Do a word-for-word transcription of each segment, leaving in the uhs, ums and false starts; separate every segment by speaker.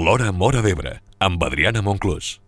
Speaker 1: L'Hora Móra d'Ebre, amb Adriana Monclús.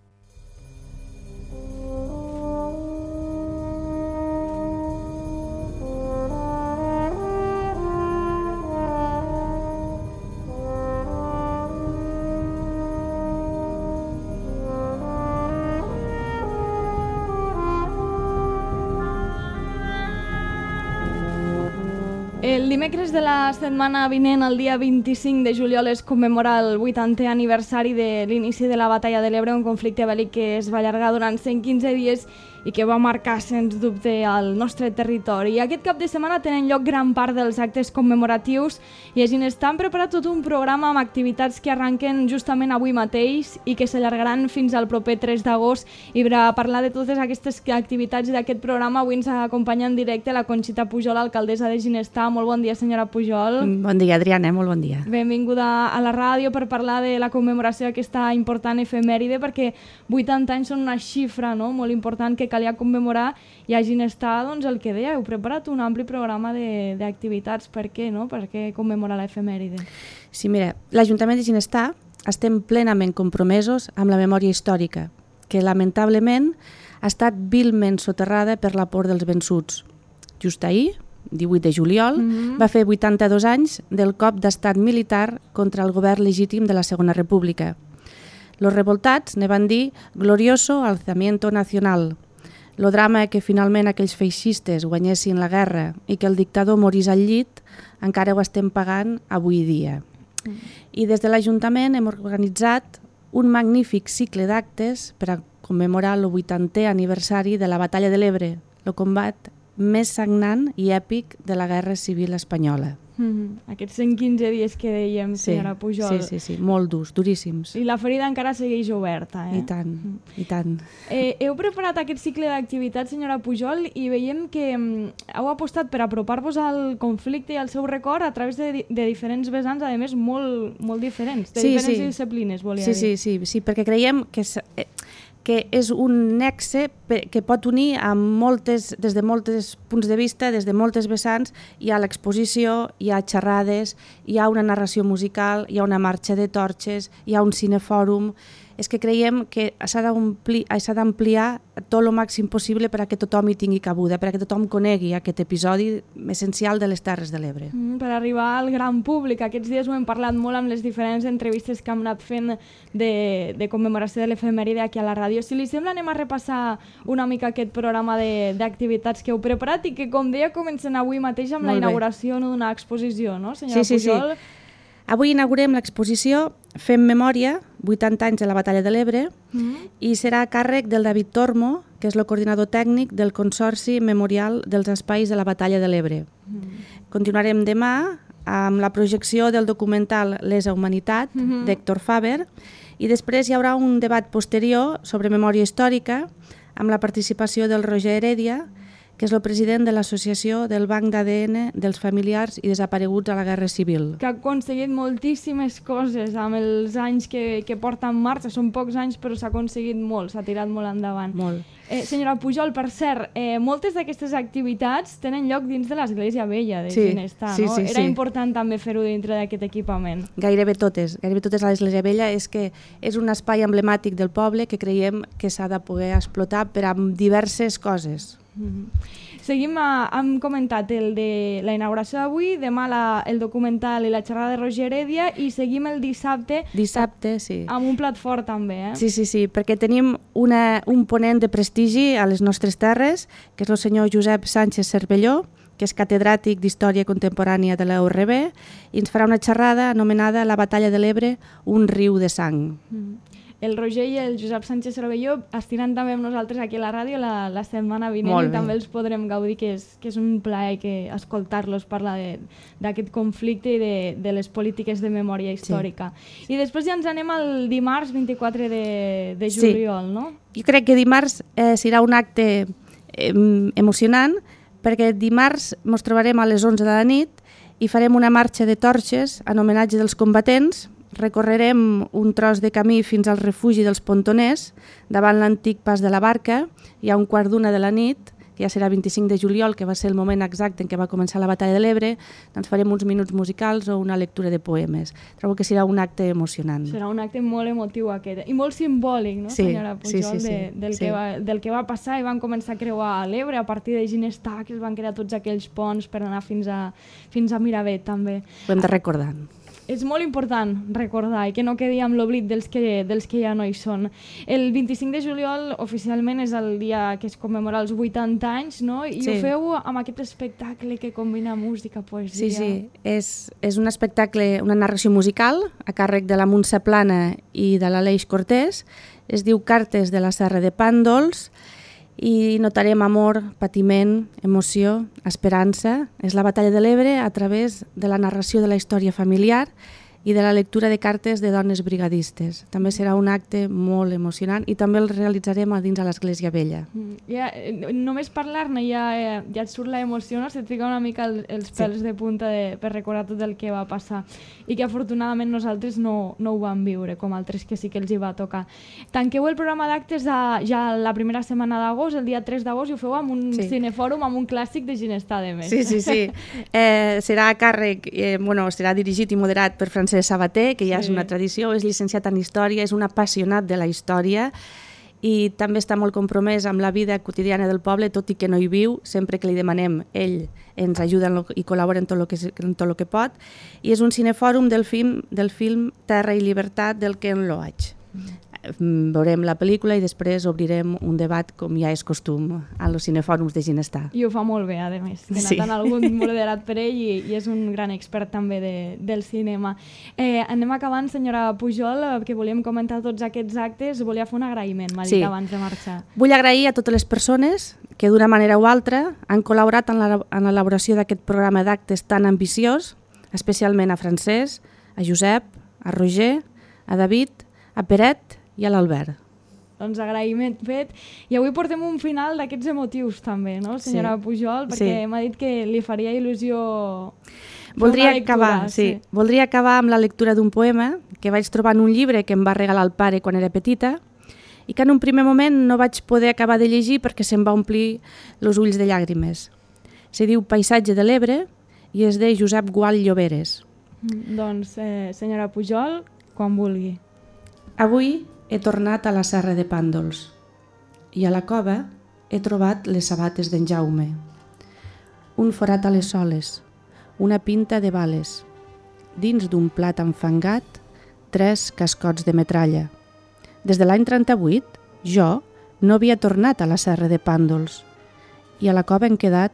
Speaker 2: El dimecres de la setmana vinent, el dia vint-i-cinc de juliol, es commemora el vuitantè aniversari de l'inici de la Batalla de l'Ebre, un conflicte bèl·lic que es va allargar durant cent quinze dies i que va marcar, sens dubte, el nostre territori. I aquest cap de setmana tenen lloc gran part dels actes commemoratius i a Ginestar han preparat tot un programa amb activitats que arranquen justament avui mateix i que s'allargaran fins al proper tres d'agost. I per a parlar de totes aquestes activitats i d'aquest programa, avui ens acompanya en directe la Conxita Pujol, alcaldessa de Ginestar. Molt bon dia, senyora Pujol.
Speaker 3: Bon dia, Adriana, molt bon dia.
Speaker 2: Benvinguda a la ràdio per parlar de la commemoració d'aquesta important efemèride, perquè vuitanta anys són una xifra, no?, molt important que calia commemorar, i a Ginestar, doncs, el que deia, heu preparat un ampli programa d'activitats. Per què, no?, per què commemorar l'efemèride?
Speaker 3: Sí, mira, l'Ajuntament de Ginestar estem plenament compromesos amb la memòria històrica, que lamentablement ha estat vilment soterrada per la por dels vençuts. Just ahir, divuit de juliol, mm-hmm. va fer vuitanta-dos anys del cop d'estat militar contra el govern legítim de la Segona República. Los revoltats ne van dir glorioso alzamiento nacional. Lo drama que finalment aquells feixistes guanyessin la guerra i que el dictador morís al llit encara ho estem pagant avui dia. Mm. I des de l'Ajuntament hem organitzat un magnífic cicle d'actes per a commemorar el vuitantè aniversari de la Batalla de l'Ebre, el combat més sagnant i èpic de la Guerra Civil Espanyola.
Speaker 2: Mm-hmm. Aquests cent quinze dies que dèiem, senyora
Speaker 3: sí,
Speaker 2: Pujol.
Speaker 3: Sí, sí, sí, molt durs, duríssims.
Speaker 2: I la ferida encara segueix oberta, eh?
Speaker 3: I tant, mm. i tant.
Speaker 2: Eh, heu preparat aquest cicle d'activitats, senyora Pujol, i veiem que mm, heu apostat per apropar-vos al conflicte i al seu record a través de, de diferents vessants, a més, molt, molt diferents, de
Speaker 3: sí,
Speaker 2: diferents
Speaker 3: sí.
Speaker 2: disciplines, volia
Speaker 3: sí,
Speaker 2: dir.
Speaker 3: Sí, sí, sí, perquè creiem que... Eh, que és un nexe que pot unir a moltes, des de molts punts de vista, des de moltes vessants. Hi ha l'exposició, hi ha xerrades, hi ha una narració musical, hi ha una marxa de torxes, hi ha un cinefòrum. És que creiem que s'ha d'ampliar tot el màxim possible per a que tothom hi tingui cabuda, per a que tothom conegui aquest episodi essencial de les Terres de l'Ebre.
Speaker 2: Mm, per arribar al gran públic. Aquests dies ho hem parlat molt amb les diferents entrevistes que hem anat fent de, de commemoració de l'efemèride aquí a la ràdio. Si li sembla, anem a repassar una mica aquest programa d'activitats que heu preparat i que, com deia, comencen avui mateix amb molt la inauguració d'una exposició, no, senyora
Speaker 3: sí, sí,
Speaker 2: Pujol?
Speaker 3: Sí. Avui inaugurem l'exposició Fem Memòria, vuitanta anys de la Batalla de l'Ebre, mm-hmm. i serà a càrrec del David Tormo, que és el coordinador tècnic del Consorci Memorial dels Espais de la Batalla de l'Ebre. Mm-hmm. Continuarem demà amb la projecció del documental Lesa Humanitat, mm-hmm. d'Héctor Faber, i després hi haurà un debat posterior sobre memòria històrica amb la participació del Roger Heredia, que és el president de l'Associació del Banc d'A D N dels Familiars i Desapareguts a la Guerra Civil.
Speaker 2: Que ha aconseguit moltíssimes coses amb els anys que, que porta en marxa. Són pocs anys, però s'ha aconseguit molt, s'ha tirat molt endavant.
Speaker 3: Molt.
Speaker 2: Eh, senyora Pujol, per cert, eh, moltes d'aquestes activitats tenen lloc dins de l'Església Vella de
Speaker 3: sí,
Speaker 2: Ginestar,
Speaker 3: sí,
Speaker 2: no?
Speaker 3: sí,
Speaker 2: Era
Speaker 3: sí.
Speaker 2: important també fer-ho dintre d'aquest equipament.
Speaker 3: Gairebé totes, gairebé totes a l'Església Vella. És que és un espai emblemàtic del poble que creiem que s'ha de poder explotar per a diverses coses.
Speaker 2: Mm-hmm. Seguim, a, hem comentat el de la inauguració d'avui, demà la, el documental i la xerrada de Roger Heredia, i seguim el dissabte,
Speaker 3: dissabte sí.
Speaker 2: amb un plat fort també. Eh?
Speaker 3: Sí, sí, sí, perquè tenim una, un ponent de prestigi a les nostres terres, que és el senyor Josep Sánchez Cervelló, que és catedràtic d'Història Contemporània de la U R B, i ens farà una xerrada anomenada La Batalla de l'Ebre, un riu de sang. Mm.
Speaker 2: El Roger i el Josep Sánchez Cervelló estiran també amb nosaltres aquí a la ràdio la, la setmana vinent i també els podrem gaudir, que és, que és un plaer que escoltar-los parlar d'aquest conflicte i de, de les polítiques de memòria històrica. Sí. I després ja ens anem al dimarts vint-i-quatre de, de juliol, sí. No?
Speaker 3: Jo crec que dimarts eh, serà un acte eh, emocionant, perquè dimarts ens trobarem a les onze de la nit i farem una marxa de torxes en homenatge dels combatents. Recorrerem un tros de camí fins al refugi dels Pontoners, davant l'antic pas de la Barca, i a un quart d'una de la nit que ja serà vint-i-cinc de juliol, que va ser el moment exacte en què va començar la Batalla de l'Ebre, doncs farem uns minuts musicals o una lectura de poemes. Trobo que serà un acte emocionant.
Speaker 2: Serà un acte molt emotiu aquest, i molt simbòlic, no,
Speaker 3: sí,
Speaker 2: senyora Pujol,
Speaker 3: sí, sí, sí,
Speaker 2: de, del,
Speaker 3: sí.
Speaker 2: Que va, del que va passar, i van començar a creuar l'Ebre a partir de Ginestar, que es van crear tots aquells ponts per anar fins a, fins a Miravet, també.
Speaker 3: Ho hem de recordar.
Speaker 2: És molt important recordar i que no quedi amb l'oblit dels, que, dels que ja no hi són. El vint-i-cinc de juliol oficialment és el dia que es commemora els vuitanta anys, no? I sí. Ho feu amb aquest espectacle que combina música, poesia...
Speaker 3: Sí, sí, és, és un espectacle, una narració musical a càrrec de la Montse Plana i de l'Aleix Cortés. Es diu Cartes de la Serra de Pàndols i notarem amor, patiment, emoció, esperança. És la Batalla de l'Ebre a través de la narració de la història familiar i de la lectura de cartes de dones brigadistes. També serà un acte molt emocionant i també el realitzarem a dins a l'Església Vella.
Speaker 2: Mm, ja, només parlar-ne ja, ja et surt l'emoció, no? Se't fica una mica el, els pèls sí. de punta de, per recordar tot el que va passar i que afortunadament nosaltres no, no ho vam viure, com altres que sí que els hi va tocar. Tanqueu el programa d'actes ja la primera setmana d'agost, el dia tres d'agost, i ho feu amb un sí. cinefòrum, amb un clàssic de Ginestar, de més.
Speaker 3: Sí, sí, sí. Eh, serà a càrrec, eh, bueno, serà dirigit i moderat per Francesc Sabater, que ja sí. és una tradició, és llicenciat en Història, és un apassionat de la història i també està molt compromès amb la vida quotidiana del poble, tot i que no hi viu. Sempre que li demanem, ell ens ajuda en lo, i col·labora en tot el que, en tot el que pot. I és un cinefòrum del film, del film Terra i Llibertat del Ken Loach. Mm. Veurem la pel·lícula i després obrirem un debat, com ja és costum, a los cinefòrums de Ginestar.
Speaker 2: I ho fa molt bé, a més. Té sí. algun moderat per ell i, i és un gran expert també de, del cinema. Eh, anem acabant, senyora Pujol, que volíem comentar tots aquests actes. Volia fer un agraïment, m'ha dit sí. abans de marxar.
Speaker 3: Vull agrair a totes les persones que d'una manera o altra han col·laborat en l'elaboració d'aquest programa d'actes tan ambiciós, especialment a Francesc, a Josep, a Roger, a David, a Peret i a l'Albert.
Speaker 2: Doncs agraïment fet. I avui portem un final d'aquests emotius també, no, senyora sí. Pujol? Perquè sí. m'ha dit que li faria il·lusió
Speaker 3: Voldria
Speaker 2: lectura,
Speaker 3: acabar, sí. sí. Voldria acabar amb la lectura d'un poema que vaig trobar en un llibre que em va regalar el pare quan era petita i que en un primer moment no vaig poder acabar de llegir perquè se'm va omplir els ulls de llàgrimes. Se diu Paisatge de l'Ebre i és de Josep Gual Lloberes.
Speaker 2: Mm, doncs, eh, senyora Pujol, quan vulgui.
Speaker 3: Avui he tornat a la Serra de Pàndols i a la cova he trobat les sabates d'en Jaume. Un forat a les soles, una pinta de bales, dins d'un plat enfangat, tres cascots de metralla. Des de l'any trenta-vuit, jo no havia tornat a la Serra de Pàndols i a la cova han quedat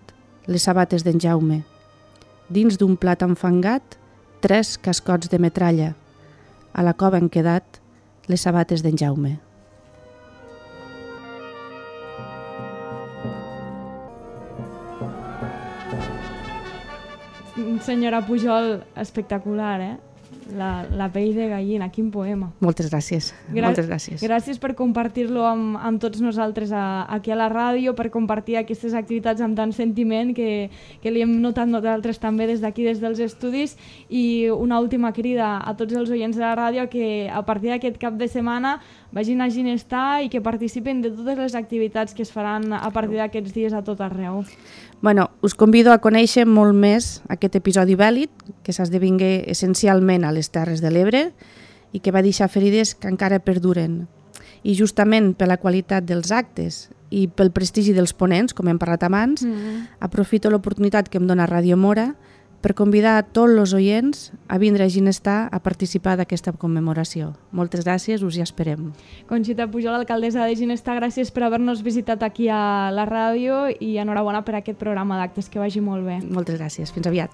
Speaker 3: les sabates d'en Jaume. Dins d'un plat enfangat, tres cascots de metralla. A la cova han quedat les sabates d'en Jaume.
Speaker 2: Senyora Pujol, espectacular, eh? La, la pell de gallina, quin poema.
Speaker 3: Moltes gràcies. Gra Moltes gràcies.
Speaker 2: Gràcies per compartir-lo amb, amb tots nosaltres a, aquí a la ràdio, per compartir aquestes activitats amb tant sentiment que, que li hem notat nosaltres també des d'aquí, des dels estudis. I una última crida a tots els oients de la ràdio que a partir d'aquest cap de setmana vagin a Ginestar i que participen de totes les activitats que es faran a partir d'aquests dies a tot arreu.
Speaker 3: Bueno, us convido a conèixer molt més aquest episodi bèl·lic que s'esdevingué essencialment a les Terres de l'Ebre i que va deixar ferides que encara perduren. I justament per la qualitat dels actes i pel prestigi dels ponents, com hem parlat abans, mm-hmm. aprofito l'oportunitat que em dona Ràdio Mora per convidar a tots els oients a vindre a Ginestar a participar d'aquesta commemoració. Moltes gràcies, us hi esperem.
Speaker 2: Conxita Pujol, alcaldessa de Ginestar, gràcies per haver-nos visitat aquí a la ràdio i enhorabona per aquest programa d'actes, que vagi molt bé.
Speaker 3: Moltes gràcies, fins aviat.